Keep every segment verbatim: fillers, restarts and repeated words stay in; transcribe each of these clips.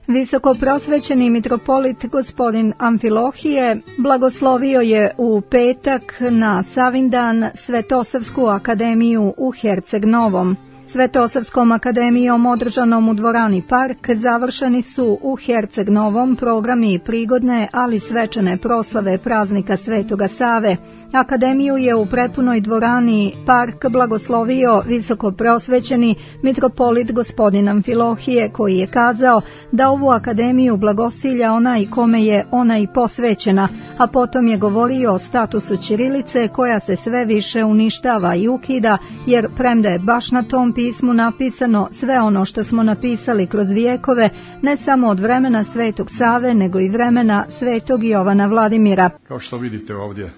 Visokoprosvećeni mitropolit gospodin Amfilohije blagoslovio je u petak na Savindan Svetosavsku akademiju u Herceg Novom. Svetosavskom akademijom održanom u dvorani Park završeni su u Herceg Novom programi prigodne, ali svečane proslave praznika Svetoga Save. Akademiju je u prepunoj dvorani Park blagoslovio visokoprosvećeni mitropolit gospodin Amfilohije, koji je kazao da ovu akademiju blagosilja onaj kome je ona i posvećena, a potom je govorio o statusu ćirilice koja se sve više uništava i ukida, jer premda je baš na tom pismu napisano sve ono što smo napisali kroz vijekove, ne samo od vremena Svetog Save, nego i vremena Svetog Jovana Vladimira. Kao što vidite ovdje,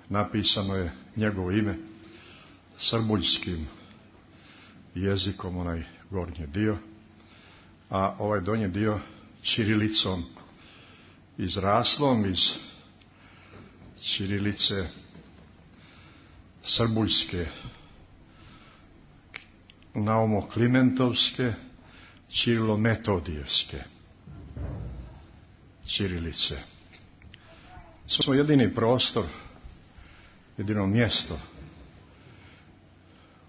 napisano je njegovo ime srbuljskim jezikom, onaj gornji dio, a ovaj donji dio ćirilicom izraslom iz ćirilice srbuljske, naumoklimentovske, ćirilometodijevske ćirilice. To smo jedini prostor, jedino mjesto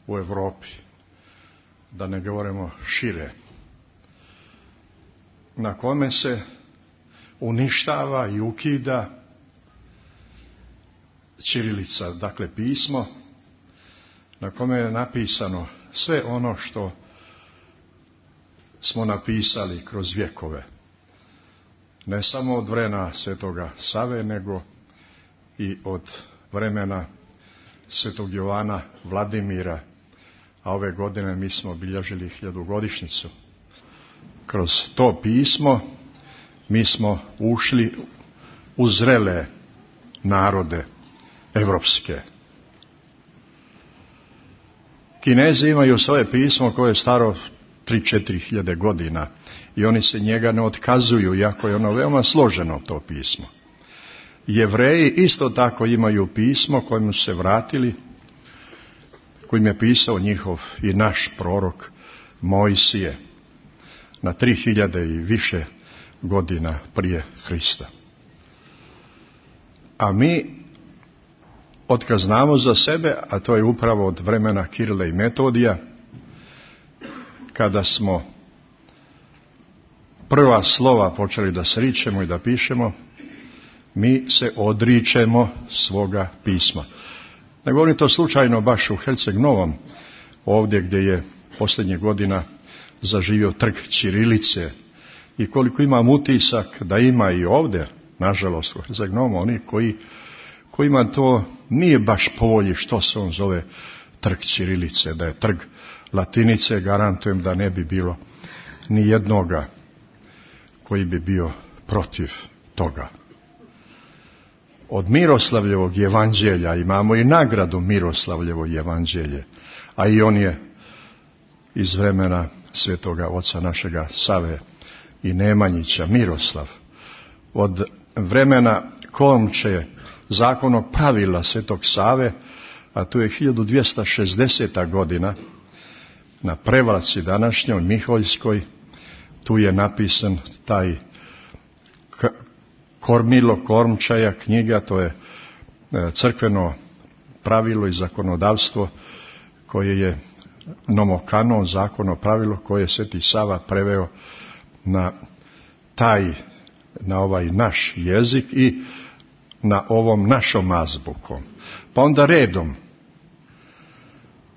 u Europi, da ne govorimo šire, na kome se uništava i ukida ćirilica, dakle pismo, na kome je napisano sve ono što smo napisali kroz vjekove. Ne samo od vremena Svetoga Save, nego i od vremena Svetog Jovana Vladimira, a ove godine mi smo obilježili hiljadugodišnjicu. Kroz to pismo mi smo ušli u zrele narode evropske. Kinezi imaju svoje pismo koje je staro tri četiri hiljade godina i oni se njega ne otkazuju, iako je ono veoma složeno, to pismo. Jevreji isto tako imaju pismo kojim su se vratili, kojim je pisao njihov i naš prorok Mojsije na tri hiljade i više godina prije Hrista. A mi otkad znamo za sebe, a to je upravo od vremena Kirila i Metodija, kada smo prva slova počeli da sričemo i da pišemo, mi se odričemo svoga pisma. Ne govorim to slučajno baš u Herceg Novom, ovdje gdje je posljednjih godina zaživio trg ćirilice, i koliko imam utisak da ima i ovdje, nažalost u Herceg Novom, oni koji, kojima to nije baš po volji što se on zove trg ćirilice, da je trg latinice, garantujem da ne bi bilo ni jednoga koji bi bio protiv toga. Od Miroslavljevog evanđelja imamo i nagradu Miroslavljevo evanđelje, a i on je iz vremena svetoga oca našega Save i Nemanjića, Miroslav. Od vremena Komče, zakonog pravila svetog Save, a tu je hiljadu dvjesto šezdeseta godina, na Prevlaci današnjoj Miholjskoj, tu je napisan taj Kormilo Kormčaja knjiga, to je crkveno pravilo i zakonodavstvo koje je nomokanon, zakono pravilo koje je Sveti Sava preveo na taj, na ovaj naš jezik i na ovom našom azbukom. Pa onda redom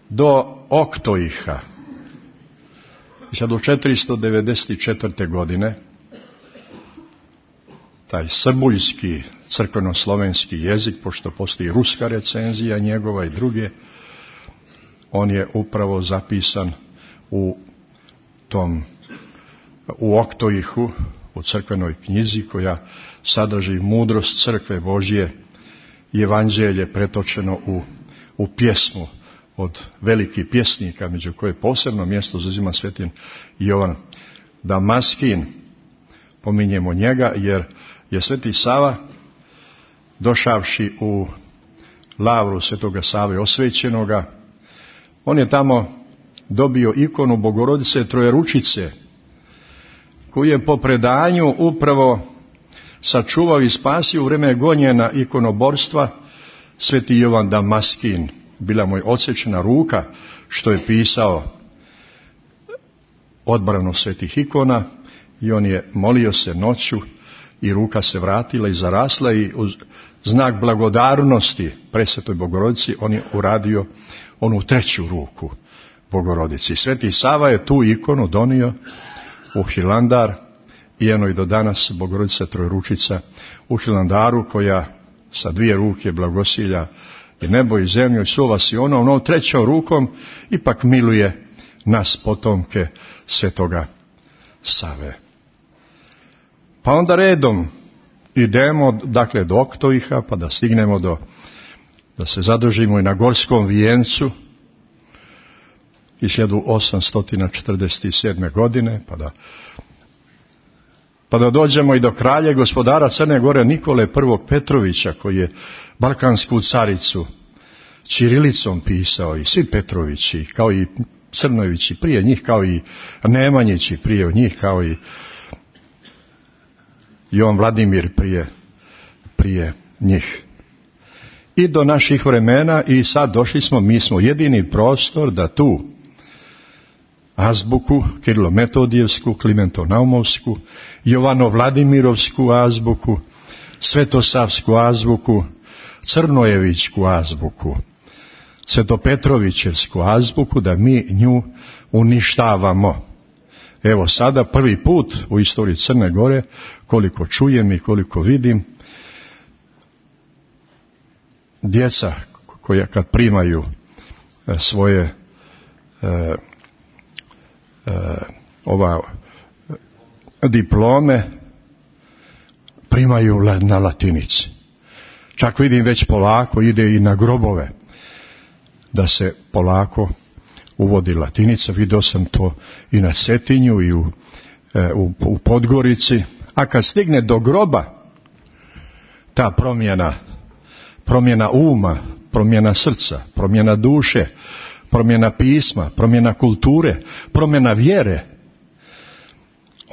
do Oktoiha hiljadu četiristo devedeset četvrte. godine taj srbuljski crkveno-slovenski jezik, pošto postoji ruska recenzija njegova i druge, on je upravo zapisan u tom, u Oktoihu, u crkvenoj knjizi koja sadrži mudrost crkve Božje i evanđelje pretočeno u, u pjesmu od velikih pjesnika, među koje posebno mjesto zauzima Svetin Jovan Damaskin. Pominjemo njega jer je Sveti Sava, došavši u lavru Svetoga Save osvećenoga, on je tamo dobio ikonu Bogorodice Trojeručice koji je po predanju upravo sačuvao i spasio u vrijeme gonjena ikonoborstva, sveti Jovan Damaskin, bila mu je odsečena ruka što je pisao odbranu svetih ikona, i on je molio se noću i ruka se vratila i zarasla, i uz znak blagodarnosti Presvetoj Bogorodici on je uradio onu treću ruku Bogorodici. Sveti Sava je tu ikonu donio u Hilandar, i eno i do danas Bogorodica Trojručica u Hilandaru, koja sa dvije ruke blagosilja i nebo i zemlju i suva si ono, ono trećom rukom ipak miluje nas potomke Svetoga Save. Pa onda redom idemo, dakle, do Oktoviha, pa da stignemo do, da se zadržimo i na Gorskom vijencu iz hiljadu osamsto četrdeset sedme. godine, pa da, pa da dođemo i do kralja gospodara Crne Gore Nikole I. Petrovića, koji je balkansku caricu ćirilicom pisao, i svi Petrovići, kao i Crnojevići prije njih, kao i Nemanjići prije njih, kao i Jovan Vladimir prije, prije njih. I do naših vremena, i sad došli smo, mi smo jedini prostor da tu azbuku, Kirilo-Metodijevsku, Klimento-Naumovsku, Jovano-Vladimirovsku azbuku, Svetosavsku azbuku, Crnojevićku azbuku, Svetopetrovićevsku azbuku, da mi nju uništavamo. Evo sada prvi put u istoriji Crne Gore, koliko čujem i koliko vidim, djeca koja kad primaju svoje e, e, ova diplome, primaju na latinici. Čak vidim već polako ide i na grobove da se polako uvodi latinica. Vidio sam to i na Cetinju i u, e, u, u Podgorici. A kad stigne do groba, ta promjena, promjena uma, promjena srca, promjena duše, promjena pisma, promjena kulture, promjena vjere,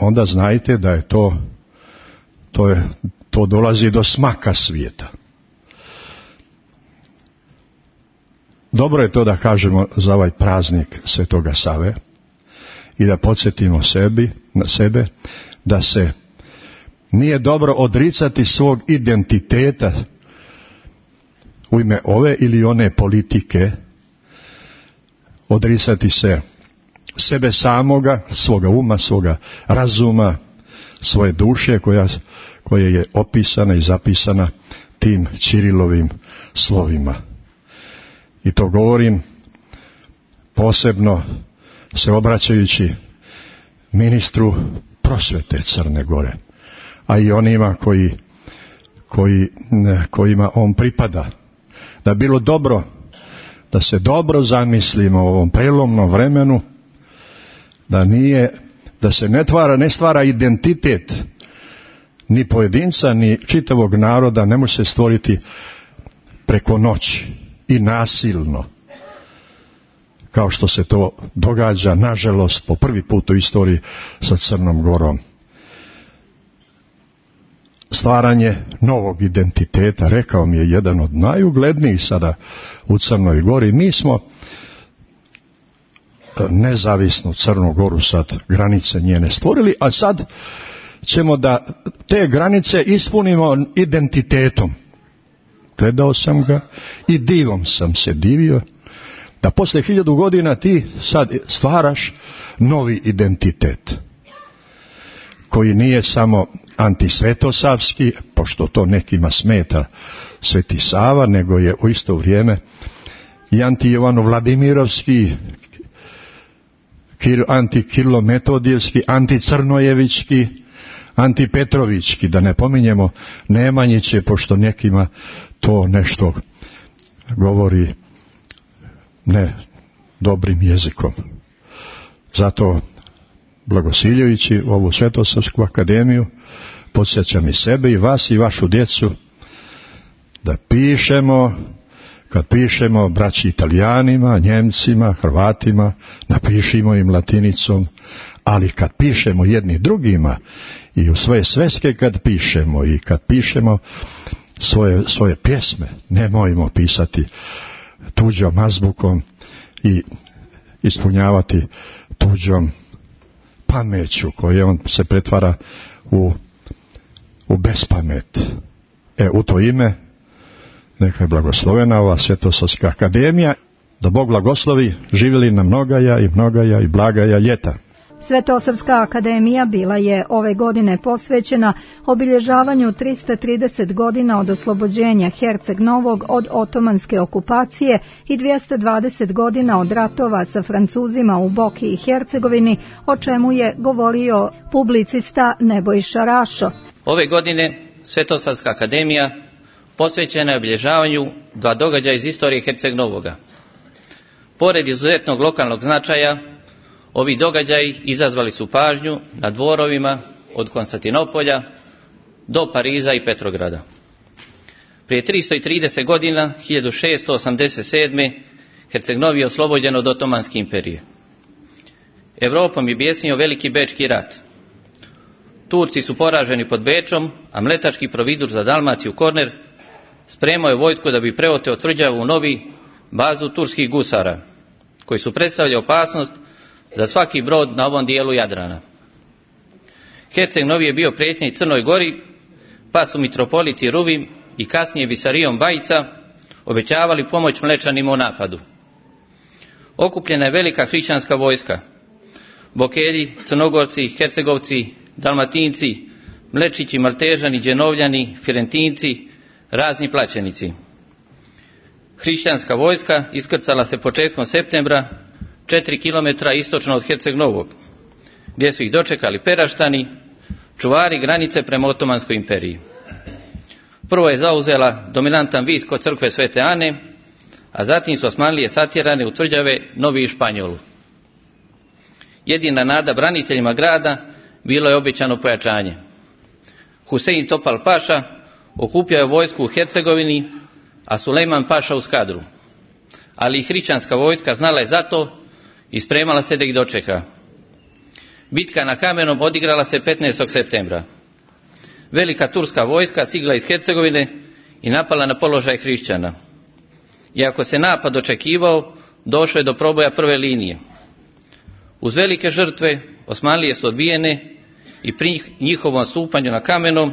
onda znajte da je to, to, je, to dolazi do smaka svijeta. Dobro je to da kažemo za ovaj praznik Svetoga Save i da podsjetimo sebi, na sebe da se nije dobro odricati svog identiteta u ime ove ili one politike, odricati se sebe samoga, svoga uma, svoga razuma, svoje duše koja, koja je opisana i zapisana tim Ćirilovim slovima. I to govorim posebno se obraćajući ministru prosvete Crne Gore, a i onima koji, koji, kojima on pripada. Da bilo dobro da se dobro zamislimo u ovom prelomnom vremenu, da nije, da se ne stvara, ne stvara identitet ni pojedinca, ni čitavog naroda, ne može se stvoriti preko noći i nasilno, kao što se to događa, nažalost, po prvi put u istoriji sa Crnom Gorom. Stvaranje novog identiteta, rekao mi je jedan od najuglednijih sada u Crnoj Gori. Mi smo nezavisnu Crnu Goru, sad granice njene stvorili, a sad ćemo da te granice ispunimo identitetom. Gledao sam ga i divom sam se divio da posle hiljadu godina ti sad stvaraš novi identitet koji nije samo antisvetosavski, pošto to nekima smeta Sveti Sava, nego je u isto vrijeme i anti-Jovano-Vladimirovski, anti-Kirilo-Metodijevski, anti-Crnojevićki, anti-Petrovićki, da ne pominjemo Nemanjiće, pošto nekima to nešto govori ne dobrim jezikom. Zato blagosiljujući ovu Svetosavsku akademiju podsjećam i sebe i vas i vašu djecu da pišemo, kad pišemo braći Italijanima, Njemcima, Hrvatima, napišimo im latinicom, Ali kad pišemo jedni drugima i u svoje sveske kad pišemo i kad pišemo svoje, svoje pjesme, nemojmo pisati tuđom azbukom i ispunjavati tuđom pameću koje on se pretvara u, u bespamet. E, u to ime neka je blagoslovena ova Svetosavska akademija, da Bog blagoslovi, živjeli na mnogaja i mnogaja i blagaja ljeta. Svetosavska akademija bila je ove godine posvećena obilježavanju tristo trideset godina od oslobođenja Herceg Novog od otomanske okupacije i dvjesto dvadeset godina od ratova sa Francuzima u Boki i Hercegovini, o čemu je govorio publicista Nebojša Rašo. Ove godine Svetosavska akademija posvećena je obilježavanju dva događaja iz istorije Herceg Novoga. Pored izuzetnog lokalnog značaja, ovi događaji izazvali su pažnju na dvorovima od Konstantinopolja do Pariza i Petrograda. Prije tristo trideset godina, hiljadu šeststo osamdeset sedme. Herceg Novi je oslobođen od Otomanske imperije. Evropom je bijesnio veliki Bečki rat. Turci su poraženi pod Bečom, a mletački providur za Dalmaciju Korner spremao je vojsku da bi preoteo tvrđavu u Novi, bazu turskih gusara, koji su predstavljali opasnost za svaki brod na ovom dijelu Jadrana. Herceg Novi je bio prijetnja i Crnoj Gori, pa su mitropoliti Ruvim i kasnije Visarijom Bajica obećavali pomoć Mlečanima u napadu. Okupljena je velika hrišćanska vojska. Bokelji, Crnogorci, Hercegovci, Dalmatinci, Mlečići, Maltežani, Đenovljani, Firentinci, razni plaćenici. Hrišćanska vojska iskrcala se početkom septembra četiri kilometra istočno od Herceg Novog, gdje su ih dočekali Peraštani, čuvari granice prema Otomanskoj imperiji. Prvo je zauzela dominantan vis kod crkve Svete Ane, a zatim su Osmanlije satjerane u tvrđave Novi i Španjolu. Jedina nada braniteljima grada bilo je obećano pojačanje. Husein Topal Paša okupio je vojsku u Hercegovini, a Sulejman Paša u Skadru. Ali i hrišćanska vojska znala je za to i spremala se da ih dočeka. Bitka na Kamenom odigrala se petnaestog septembra. Velika turska vojska stigla iz Hercegovine i napala na položaj hrišćana. Iako se napad očekivao, došlo je do proboja prve linije. Uz velike žrtve Osmanlije su odbijene i pri njihovom stupanju na Kamenom,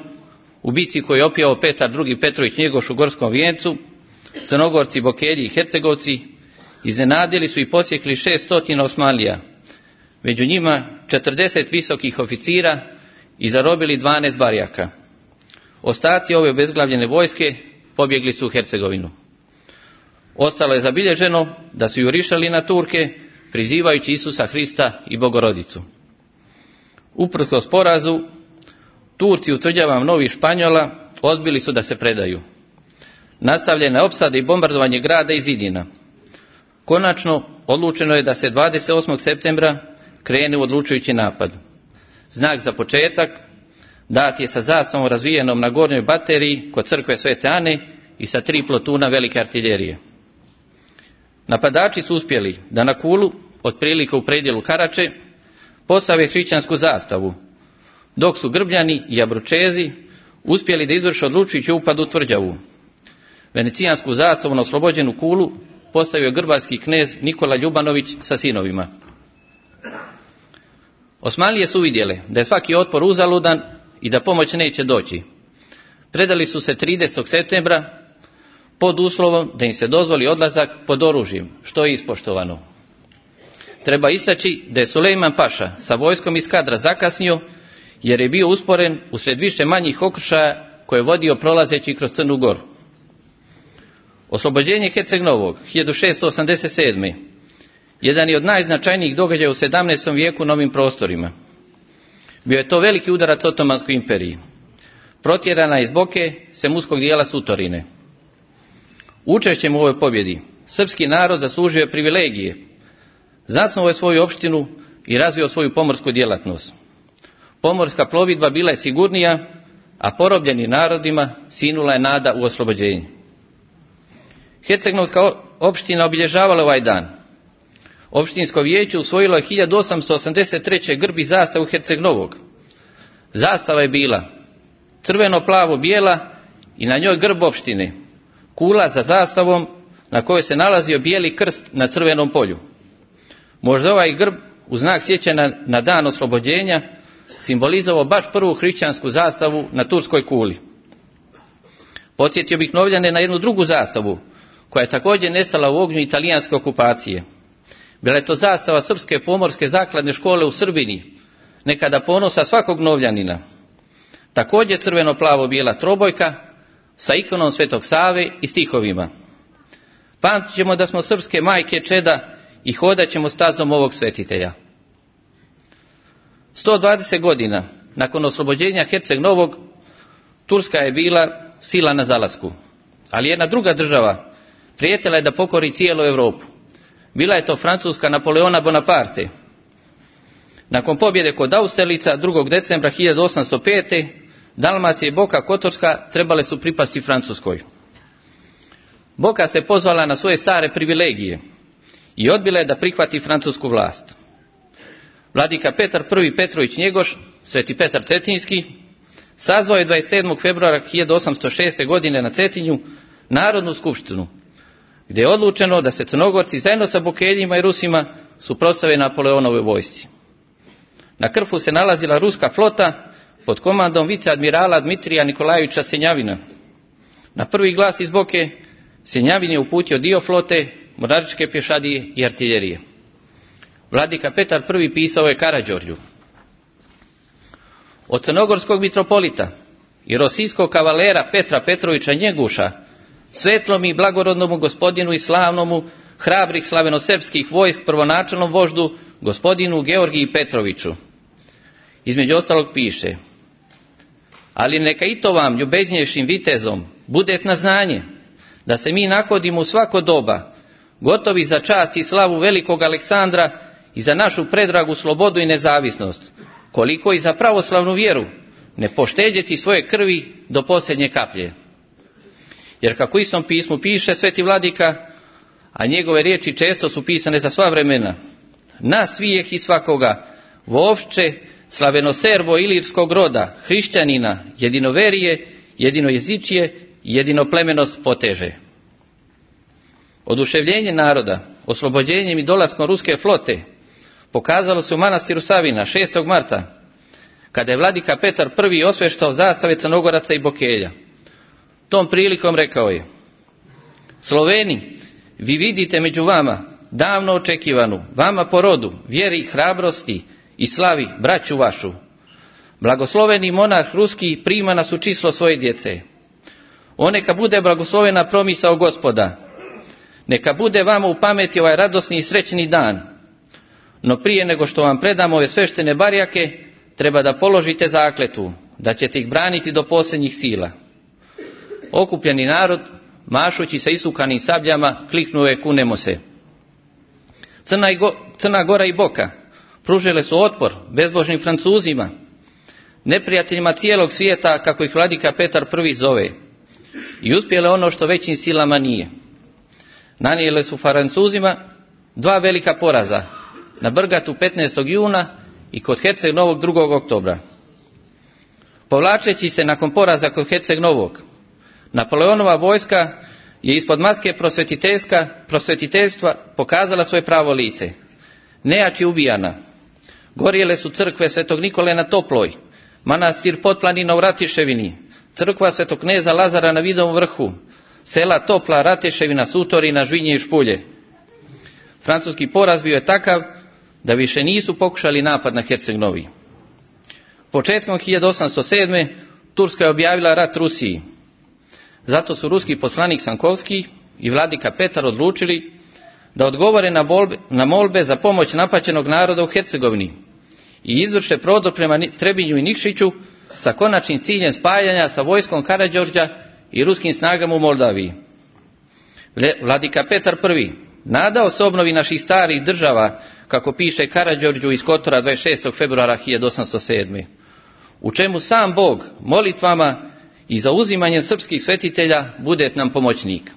u bici koju je opjao Petar drugi. Petrović Njegoš u Gorskom Vijencu, Crnogorci, Bokelji i Hercegovci iznenadili su i posjekli šeststotina Osmanlija, među njima četrdeset visokih oficira i zarobili dvanaest barjaka. Ostaci ove obezglavljene vojske pobjegli su u Hercegovinu. Ostalo je zabilježeno da su jurišali na Turke, prizivajući Isusa Hrista i Bogorodicu. Uprkos porazu, Turci u tvrđavama Novi Španjola odbili su da se predaju. Nastavljena je opsada i bombardovanje grada i zidina. Konačno, odlučeno je da se dvadeset osmog septembra krene u odlučujući napad. Znak za početak dat je sa zastavom razvijenom na gornjoj bateriji kod crkve Svete Ane i sa tri plotuna velike artiljerije. Napadači su uspjeli da na Kulu, otprilike u predjelu Karače, postave hrišćansku zastavu, dok su Grbljani i Abručezi uspjeli da izvrše odlučujući upad u tvrđavu. Venecijansku zastavu na oslobođenu Kulu postavio grbarski knez Nikola Ljubanović sa sinovima. Osmanlije su vidjele da je svaki otpor uzaludan i da pomoć neće doći. Predali su se tridesetog septembra pod uslovom da im se dozvoli odlazak pod oružjem, što je ispoštovano. Treba istaći da je Sulejman Paša sa vojskom iz Skadra zakasnio jer je bio usporen usred više manjih okršaja koje je vodio prolazeći kroz Crnu Goru. Oslobođenje Herceg Novog hiljadu šeststo osamdeset sedme. jedan je od najznačajnijih događaja u sedamnaestom vijeku na ovim prostorima. Bio je to veliki udarac Otomanskoj imperiji. Protjerana iz Boke semuskog dijela Sutorine. Učešćem u ovoj pobjedi srpski narod zaslužio je privilegije, zasnovao je svoju opštinu i razvio svoju pomorsku djelatnost. Pomorska plovidba bila je sigurnija, a porobljenim narodima sinula je nada u oslobođenje. Hercegnovska opština obilježavala ovaj dan. Opštinsko vijeće usvojilo je hiljadu osamsto osamdeset treće grb i zastavu Herceg Novog. Zastava je bila crveno-plavo-bijela i na njoj grb opštine, kula za zastavom na kojoj se nalazio bijeli krst na crvenom polju. Možda ovaj grb, u znak sjećanja na dan oslobođenja, simbolizovao baš prvu hrišćansku zastavu na turskoj kuli. Podsjetio bih Novljane na jednu drugu zastavu, koja je također nestala u ognju italijanske okupacije. Bila je to zastava Srpske pomorske zakladne škole u Srbini, nekada ponosa svakog Novljanina. Također crveno-plavo-bijela trobojka sa ikonom Svetog Save i stihovima. Pamtit ćemo da smo srpske majke čeda i hodat ćemo stazom ovog svetitelja. sto dvadeset godina nakon oslobođenja Herceg Novog, Turska je bila sila na zalasku, ali jedna druga država prijetila je da pokori cijelu Europu. Bila je to Francuska Napoleona Bonaparte. Nakon pobjede kod Austerlica drugog decembra hiljadu osamsto pete. Dalmacija i Boka Kotorska trebale su pripasti Francuskoj. Boka se pozvala na svoje stare privilegije i odbila je da prihvati francusku vlast. Vladika Petar prvi Petrović Njegoš, Sveti Petar Cetinski, sazvao je dvadeset sedmog februara hiljadu osamsto šeste. godine na Cetinju Narodnu skupštinu, gdje je odlučeno da se Crnogorci zajedno sa Bokeljima i Rusima suprotstave Napoleonovoj vojsci. Na Krfu se nalazila ruska flota pod komandom viceadmirala Dmitrija Nikolajevića Senjavina. Na prvi glas iz Boke Senjavin je uputio dio flote, mornaričke pješadije i artiljerije. Vladika Petar prvi pisao je Karađorđu: od crnogorskog mitropolita i rosijskog kavalera Petra Petrovića Njeguša, svetlom i blagorodnomu gospodinu i slavnomu hrabrih slavenosrpskih vojsk prvonačelnom voždu gospodinu Georgiji Petroviću. Između ostalog piše: ali neka i to vam, ljubeznjejšim vitezom, bude na znanje, da se mi nahodimo u svako doba, gotovi za čast i slavu velikog Aleksandra i za našu predragu slobodu i nezavisnost, koliko i za pravoslavnu vjeru, ne poštedjeti svoje krvi do posljednje kaplje. Jer kako u istom pismu piše sveti vladika, a njegove riječi često su pisane za sva vremena: na svijeh i svakoga, vovče, slavenoserbo ilirskog roda, hrišćanina, jedinoverije, jedinojezičije i jedinoplemenost poteže. Oduševljenje naroda oslobođenjem i dolaskom ruske flote pokazalo se u manastiru Savina šestog marta, kada je vladika Petar prvi osveštao zastave Crnogoraca i Bokelja. Tom prilikom rekao je: Sloveni, vi vidite među vama davno očekivanu, vama po rodu, vjeri, hrabrosti i slavi braću vašu. Blagosloveni monarh ruski prima nas u čislo svoje djece. O neka bude blagoslovena promisao Gospoda. Neka bude vama u pameti ovaj radosni i srećni dan. No prije nego što vam predam ove sveštene barjake, treba da položite zakletvu, da ćete ih braniti do posljednjih sila. Okupljeni narod, mašući sa isukanim sabljama, kliknuo je: kunemo se. Crna, i Go, Crna Gora i Boka pružile su otpor bezbožnim Francuzima, neprijateljima cijelog svijeta, kako ih vladika Petar prvi zove, i uspjele ono što većim silama nije. Nanijele su Francuzima dva velika poraza, na Brgatu petnaestog juna i kod Herceg Novog drugog oktobra. Povlačeći se nakon poraza kod Herceg Novog, Napoleonova vojska je ispod maske prosvetiteljstva pokazala svoje pravo lice. Nejači ubijana. Gorjele su crkve Svetog Nikole na Toploj, manastir Potplanina u Ratiševini, crkva Svetog kneza Lazara na Vidovom vrhu, sela Topla, Rateševina, Sutorina, Žvinje i Špulje. Francuski poraz bio je takav da više nisu pokušali napad na Herceg Novi. Početkom hiljadu osamsto sedme. Turska je objavila rat Rusiji. Zato su ruski poslanik Sankovski i vladika Petar odlučili da odgovore na, bolbe, na molbe za pomoć napaćenog naroda u Hercegovini i izvrše prodor prema Trebinju i Nikšiću sa konačnim ciljem spajanja sa vojskom Karađorđa i ruskim snagama u Moldaviji. Vladika Petar prvi nadao se obnovi naših starih država, kako piše Karađorđu iz Kotora dvadeset šestog februara hiljadu osamsto sedme. U čemu sam Bog molitvama i zauzimanjem srpskih svetitelja bude nam pomoćnik.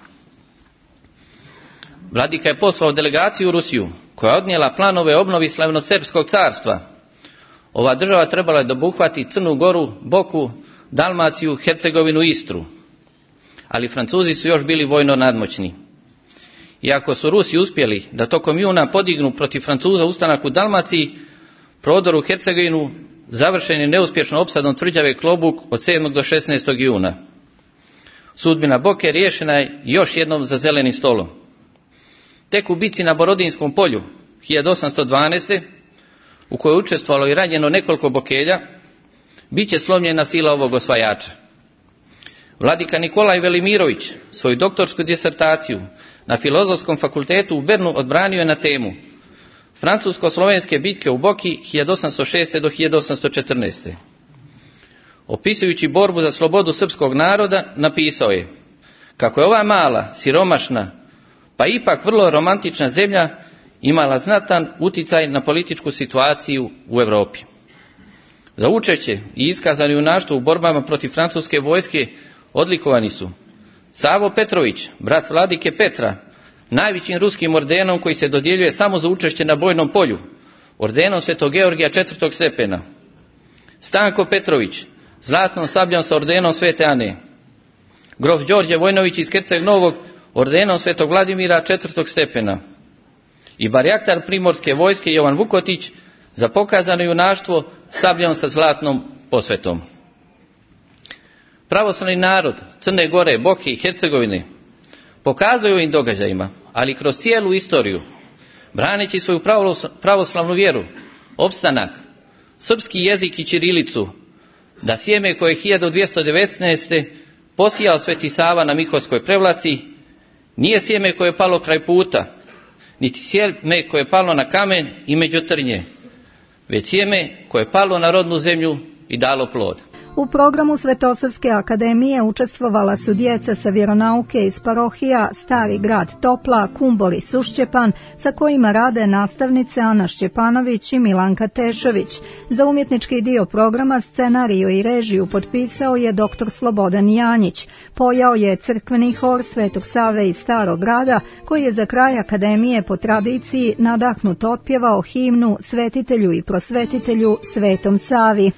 Vladika je poslao delegaciju u Rusiju, koja je odnijela planove obnovi slavnosrpskog carstva. Ova država trebala je da obuhvati Crnu Goru, Boku, Dalmaciju, Hercegovinu i Istru. Ali Francuzi su još bili vojno nadmoćni. Iako su Rusi uspjeli da tokom juna podignu protiv Francuza ustanak u Dalmaciji, prodor u Hercegovinu završen je neuspješno opsadom tvrđave Klobuk od sedmog do šesnaestog juna. Sudbina Boke riješena je još jednom za zelenim stolom. Tek u bici na Borodinskom polju hiljadu osamsto dvanaeste. u kojoj je učestvovalo i ranjeno nekoliko Bokelja, bit će slomljena sila ovog osvajača. Vladika Nikolaj Velimirović svoju doktorsku disertaciju na Filozofskom fakultetu u Bernu odbranio je na temu Francusko-slovenske bitke u Boki hiljadu osamsto šeste do hiljadu osamsto četrnaeste. Opisujući borbu za slobodu srpskog naroda, napisao je kako je ova mala, siromašna, pa ipak vrlo romantična zemlja imala znatan uticaj na političku situaciju u Europi. Za učešće i iskazani junaštvo u borbama protiv francuske vojske odlikovani su Savo Petrović, brat vladike Petra, najvećim ruskim ordenom koji se dodjeljuje samo za učešće na bojnom polju, ordenom Svetog Georgija četvrtog stepena. Stanko Petrović, zlatnom sabljom sa ordenom Svete Ane. Grof Đorđe Vojnović iz Herceg Novog, ordenom Svetog Vladimira četvrtog stepena. I barjaktar primorske vojske Jovan Vukotić za pokazano junaštvo sabljom sa zlatnom posvetom. Pravoslavni narod Crne Gore, Boke i Hercegovine pokazuje ovim događajima, ali kroz cijelu istoriju, braneći svoju pravoslavnu vjeru, opstanak, srpski jezik i ćirilicu, da sjeme koje je hiljadu dvjesto devetnaeste. posijao Sveti Sava na Mihovskoj Prevlaci, nije sjeme koje je palo kraj puta, niti sjeme koje je palo na kamen i među trnje, već sjeme koje je palo na rodnu zemlju i dalo plod. U programu Svetosavske akademije učestvovala su djeca sa vjeronauke iz parohija Stari grad Topla, Kumbor i Sušćepan, sa kojima rade nastavnice Ana Šćepanović i Milanka Tešović. Za umjetnički dio programa scenariju i režiju potpisao je doktor Slobodan Janjić. Pojao je crkveni hor Svetog Save iz Starog grada, koji je za kraj akademije po tradiciji nadahnut otpjevao himnu Svetitelju i prosvetitelju Svetom Savi.